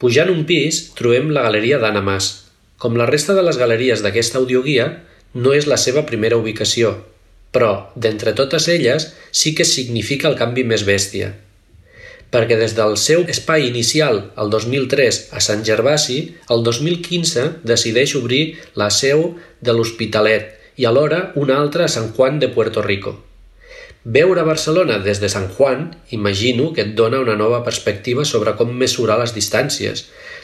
Pujant un pis, trobem la galeria d'Anna Mas. Com la resta de les galeries d'aquesta audioguia, no és la seva primera ubicació, però, d'entre totes elles, sí que significa el canvi més bèstia. Perquè des del seu espai inicial, el 2003, a Sant Gervasi, el 2015 decideix obrir la seu de l'Hospitalet i alhora una altra a Sant Juan de Puerto Rico. Veure Barcelona des de Sant Juan, imagino que et dona una nova perspectiva sobre com mesurar les distàncies.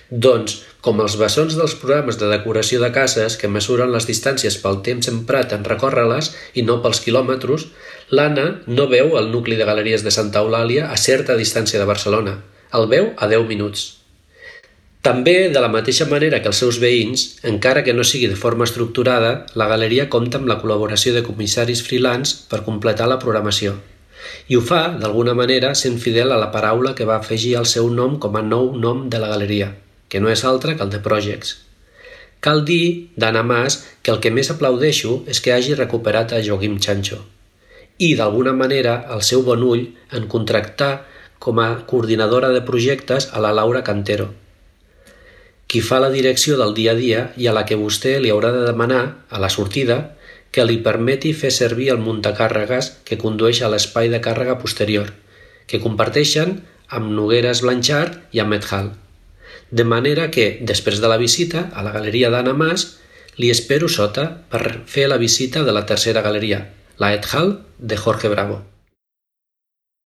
Doncs, com els bessons dels programes de decoració de cases que mesuren les distàncies pel temps emprat en recórrer-les i no pels quilòmetres, l'Anna no veu el nucli de galeries de Santa Eulàlia a certa distància de Barcelona. El veu a 10 minuts. També, de la mateixa manera que els seus veïns, encara que no sigui de forma estructurada, la galeria compta amb la col·laboració de comissaris freelance per completar la programació. I ho fa, d'alguna manera, sent fidel a la paraula que va afegir al seu nom com a nou nom de la galeria, que no és altre que el de Projects. Cal dir, d'Anna Mas, que el que més aplaudeixo és que hagi recuperat a Joaquim Chancho i, d'alguna manera, el seu bon ull en contractar com a coordinadora de projectes a la Laura Cantero, qui fa la direcció del dia a dia i a la que vostè li haurà de demanar, a la sortida, que li permeti fer servir el muntacàrregues que condueix a l'espai de càrrega posterior, que comparteixen amb Nogueres Blanchard i amb Ed Hall. De manera que, després de la visita a la galeria d'Anna Mas, li espero sota per fer la visita de la tercera galeria, la Ed Hall de Jorge Bravo.